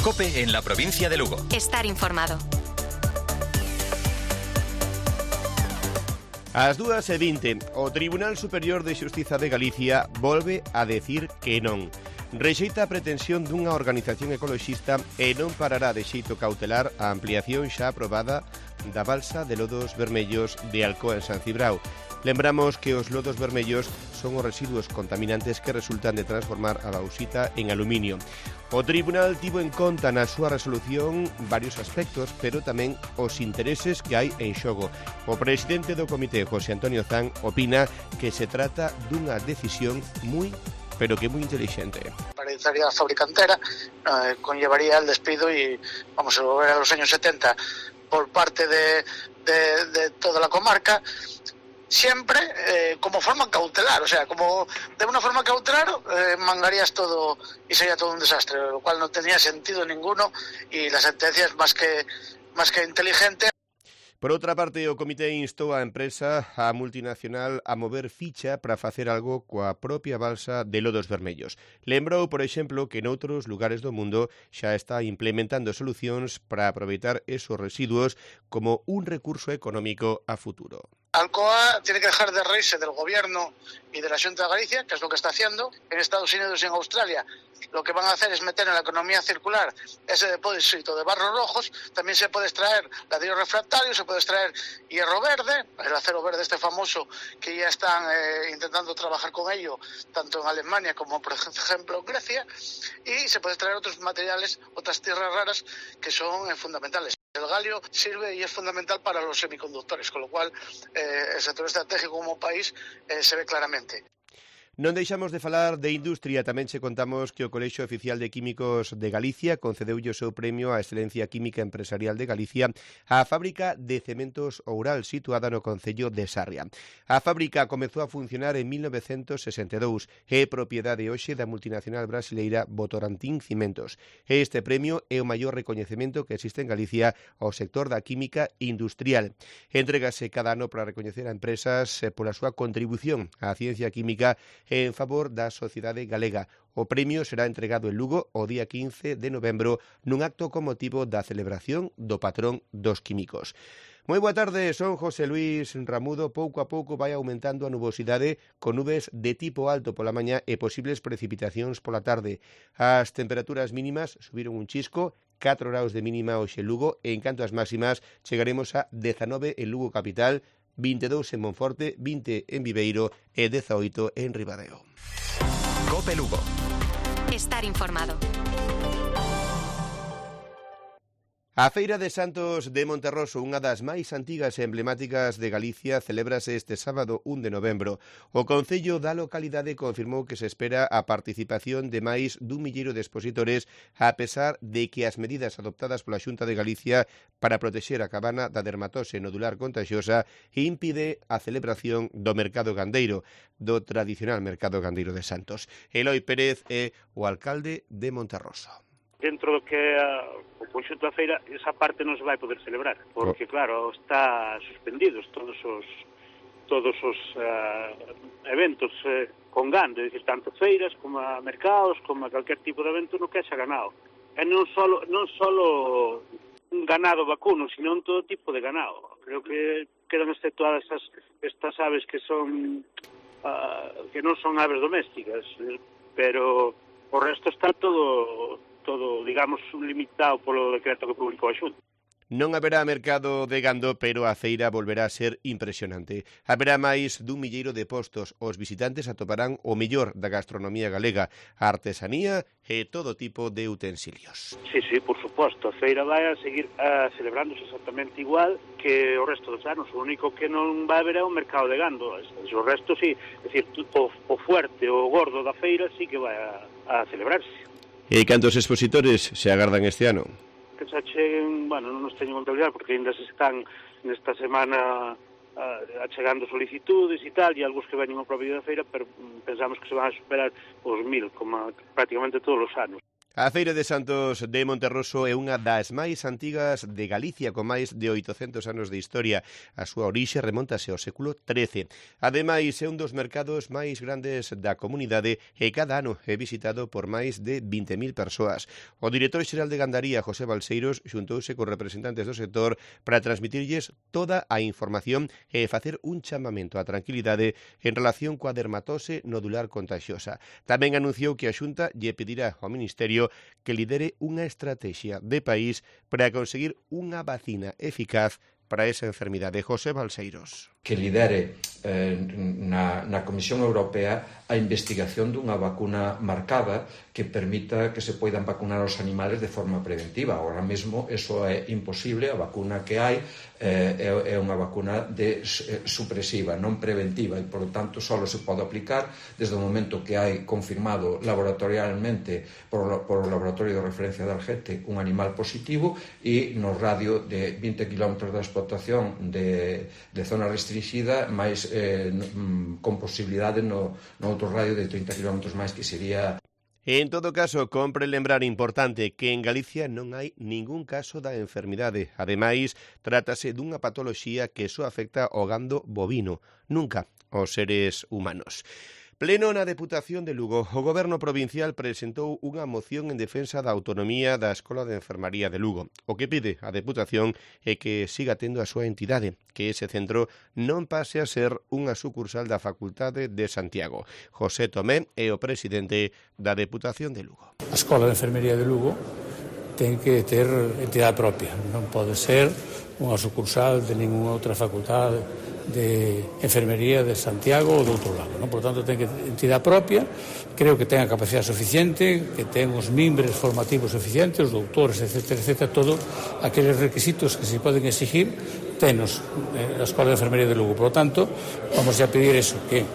COPE en la provincia de Lugo. Estar informado. Ás 2:20, o Tribunal Superior de Xustiza de Galicia volve a decir que non. Rexeita a pretensión dunha organización ecoloxista e non parará de xeito cautelar a ampliación xa aprobada da balsa de lodos vermellos de Alcoa en San Cibrao. Lembramos que os lodos vermellos son os residuos contaminantes que resultan de transformar a bauxita en aluminio. O Tribunal tivo en conta na súa resolución varios aspectos, pero tamén os intereses que hai en xogo. O presidente do comité, José Antonio Zan, opina que se trata dunha decisión moi inteligente. Paralizaría a fábrica entera, conllevaría el despido y vamos a volver a los años 70 por parte de toda la comarca, siempre como forma cautelar, o sea, como de una forma cautelar mangarías todo y sería todo un desastre, lo cual no tenía sentido ninguno y la sentencia es más que inteligente. Por outra parte, o comité instou a empresa, a multinacional, a mover ficha para facer algo coa propia balsa de lodos vermellos. Lembrou, por exemplo, que noutros lugares do mundo xa está implementando solucións para aproveitar esos residuos como un recurso económico a futuro. Alcoa tiene que dejar de reírse del gobierno y de la Xunta de Galicia, que es lo que está haciendo. En Estados Unidos y en Australia lo que van a hacer es meter en la economía circular ese depósito de barros rojos. También se puede extraer ladrillo refractario, se puede extraer hierro verde, el acero verde este famoso, que ya están intentando trabajar con ello, tanto en Alemania como, por ejemplo, en Grecia. Y se puede extraer otros materiales, otras tierras raras que son fundamentales. El galio sirve y es fundamental para los semiconductores, con lo cual el sector estratégico como país se ve claramente. Non deixamos de falar de industria, tamén che contamos que o Colexio Oficial de Químicos de Galicia concedeulle o seu premio á Excelencia Química Empresarial de Galicia á fábrica de cementos Oural, situada no concello de Sarria. A fábrica comezou a funcionar en 1962 e é propiedade hoxe da multinacional brasileira Votorantim Cimentos. Este premio é o maior recoñecemento que existe en Galicia ao sector da química industrial. Entrégase cada ano para recoñecer a empresas pola súa contribución á ciencia química en favor da sociedade galega. O premio será entregado en Lugo o día 15 de novembro nun acto con motivo da celebración do patrón dos químicos. Moi boa tarde, son José Luis Ramudo. Pouco a pouco vai aumentando a nubosidade con nubes de tipo alto pola mañá e posibles precipitacións pola tarde. As temperaturas mínimas subiron un chisco, 4 graus de mínima hoxe en Lugo e en canto ás máximas chegaremos a 19 en Lugo capital, 22 en Monforte, 20 en Viveiro e 18 en Ribadeo. COPE Lugo. Estar informado. A Feira de Santos de Monterroso, unha das máis antigas e emblemáticas de Galicia, celébrase este sábado 1 de novembro. O Concello da localidade confirmou que se espera a participación de máis dun milleiro de expositores, a pesar de que as medidas adoptadas pola Xunta de Galicia para protexer a cabana da dermatose nodular contagiosa impide a celebración do mercado gandeiro, do tradicional mercado gandeiro de Santos. Eloi Pérez é o alcalde de Monterroso. Dentro do que o conxunto da feira, esa parte non se vai poder celebrar, porque claro, está suspendidos todos os eventos con gando, é dicir, tanto feiras como a mercados, como a calquer tipo de evento no que haxa ganado. E non solo un ganado vacuno, sino un todo tipo de ganado. Creo que quedan exceptuadas estas aves que son que non son aves domésticas, pero o resto está todo, digamos, limitado polo decreto que publicou a Xunta. Non haberá mercado de gando, pero a feira volverá a ser impresionante. Haberá máis dun milleiro de postos. Os visitantes atoparán o mellor da gastronomía galega, a artesanía e todo tipo de utensilios. Sí, por suposto. A feira vai a seguir celebrándose exactamente igual que o resto dos anos. O único que non vai haber é o mercado de gando. O resto, sí. É dicir, o fuerte, o gordo da feira sí que vai a celebrarse. E cantos expositores se agardan este ano? Que se acheguen, bueno, non nos teño contabilidade porque ainda se están nesta semana achegando solicitudes e tal, e algúns que veñen ao propio da feira, pero pensamos que se van a superar os 1000, como prácticamente todos os anos. A Feira de Santos de Monterroso é unha das máis antigas de Galicia, con máis de 800 anos de historia. A súa orixe remontase ao século XIII. Ademais, é un dos mercados máis grandes da comunidade e cada ano é visitado por máis de 20.000 persoas. O director xeral de Gandaría, José Balseiros, xuntouse cos representantes do sector para transmitirlles toda a información e facer un chamamento á tranquilidade en relación coa dermatose nodular contagiosa. Tamén anunciou que a Xunta lle pedirá ao Ministerio que lidere unha estrategia de país para conseguir unha vacina eficaz para esa enfermidade. José Balseiros. Que lidere na Comisión Europea a investigación dunha vacuna marcada que permita que se poidan vacunar os animales de forma preventiva. Ahora mesmo eso é imposible, a vacuna que hai é unha vacuna supresiva, non preventiva, e, por lo tanto, só se pode aplicar desde o momento que hai confirmado laboratorialmente por o laboratorio de referencia de Algete un animal positivo e no radio de 20 km da explotación de zona restringida, máis con posibilidade no outro radio de 30 km máis, que sería... En todo caso, compre lembrar importante que en Galicia non hai ningún caso da enfermidade. Ademais, trátase dunha patoloxía que só afecta ao gando bovino, nunca aos seres humanos. Pleno na Deputación de Lugo. O Goberno provincial presentou unha moción en defensa da autonomía da Escola de Enfermaría de Lugo. O que pide a Deputación é que siga tendo a súa entidade, que ese centro non pase a ser unha sucursal da Facultade de Santiago. José Tomé é o presidente da Deputación de Lugo. A Escola de Enfermería de Lugo ten que ter entidade propia, non pode ser unha sucursal de ninguna outra facultade de enfermería de Santiago ou de outro lado, non? Por tanto, ten que ter entidade propia. Creo que ten a capacidade suficiente, que ten os mimbres formativos suficientes, os doutores, etc., todo aqueles requisitos que se poden exigir tenos a Escola de Enfermería de Lugo. Por tanto, vamos a pedir eso, que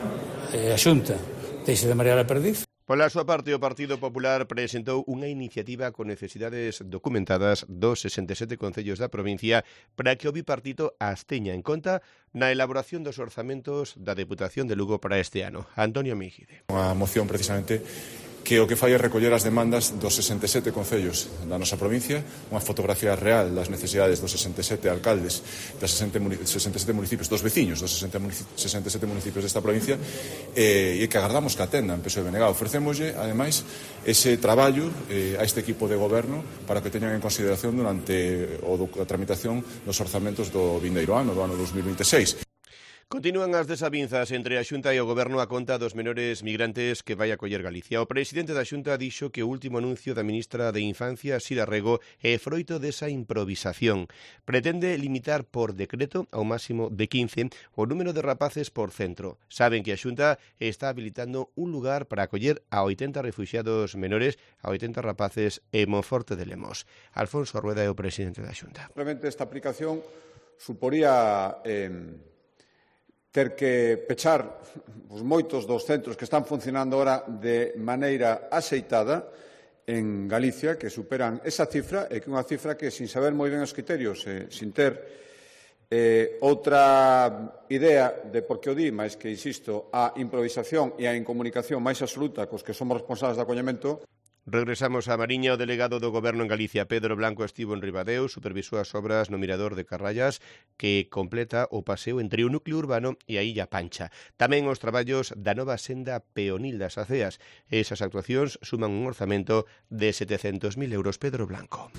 a Xunta deixe de marear a perdiz. Pola súa parte, o Partido Popular presentou unha iniciativa con necesidades documentadas dos 67 concellos da provincia para que o bipartito as teña en conta na elaboración dos orzamentos da Deputación de Lugo para este ano. Antonio Míjide. Unha moción precisamente que o que fai é recoller as demandas dos 67 concellos da nosa provincia, unha fotografía real das necesidades dos 67 alcaldes, das 67 municipios, dos veciños dos 67 municipios desta provincia, e que agardamos que atendan PSOE e BNG. Ofrecémoslle, ademais, ese traballo a este equipo de goberno para que teñan en consideración durante a tramitación dos orzamentos do vindeiro ano, do ano 2026. Continúan as desavinzas entre a Xunta e o Goberno a conta dos menores migrantes que vai acoller Galicia. O presidente da Xunta dixo que o último anuncio da ministra de Infancia, Sira Rego, é froito desa improvisación. Pretende limitar por decreto ao máximo de 15 o número de rapaces por centro. Saben que a Xunta está habilitando un lugar para acoller a 80 refuxiados menores, a 80 rapaces en Monforte de Lemos. Alfonso Rueda é o presidente da Xunta. Realmente esta aplicación suporía ter que pechar os moitos dos centros que están funcionando ahora de maneira axeitada en Galicia, que superan esa cifra, e que é unha cifra que, sin saber moi ben os criterios, sin ter outra idea de por que o di, máis que, insisto, a improvisación e a incomunicación máis absoluta cos que somos responsables de acollemento. Regresamos a Mariña. O delegado do Goberno en Galicia, Pedro Blanco, estivo en Ribadeo, supervisou as obras no Mirador de Carrallas, que completa o paseo entre o núcleo urbano e a Illa Pancha. Tamén os traballos da nova senda peonil das Aceas. Esas actuacións suman un orzamento de 700.000 euros. Pedro Blanco.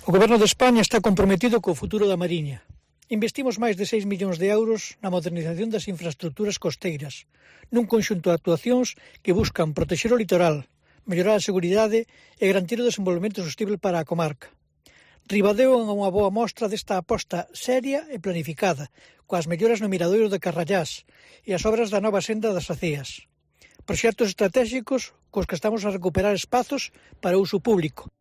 O Goberno de España está comprometido co futuro da Mariña. Investimos máis de 6 millóns de euros na modernización das infraestructuras costeiras, nun conxunto de actuacións que buscan protexer o litoral, mellorar a seguridade e garantir o desenvolvemento sostible para a comarca. Ribadeo é unha boa mostra desta aposta seria e planificada, coas melloras no Miradoiro de Carrallás e as obras da nova senda das Aceas. Proxectos estratégicos cos que estamos a recuperar espazos para uso público.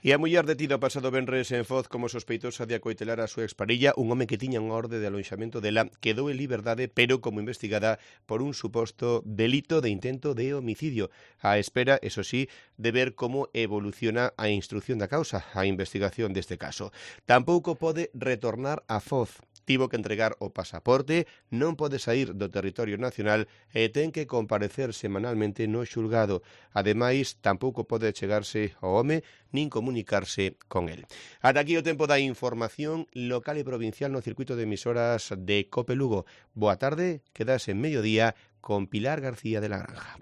E a muller detida o pasado venres en Foz como sospeitosa de acoitelar a súa exparilla, un home que tiña unha orde de aloixamento dela, quedou en liberdade, pero como investigada por un suposto delito de intento de homicidio. A espera, eso sí, de ver como evoluciona a instrución da causa, a investigación deste caso. Tampouco pode retornar a Foz. tivo que entregar o pasaporte, non pode saír do territorio nacional e ten que comparecer semanalmente no xulgado. Ademais, tampouco pode chegarse ao home nin comunicarse con el. Ata aquí o tempo da información local e provincial no circuito de emisoras de COPE Lugo. Boa tarde, quedas en Mediodía con Pilar García de la Granja.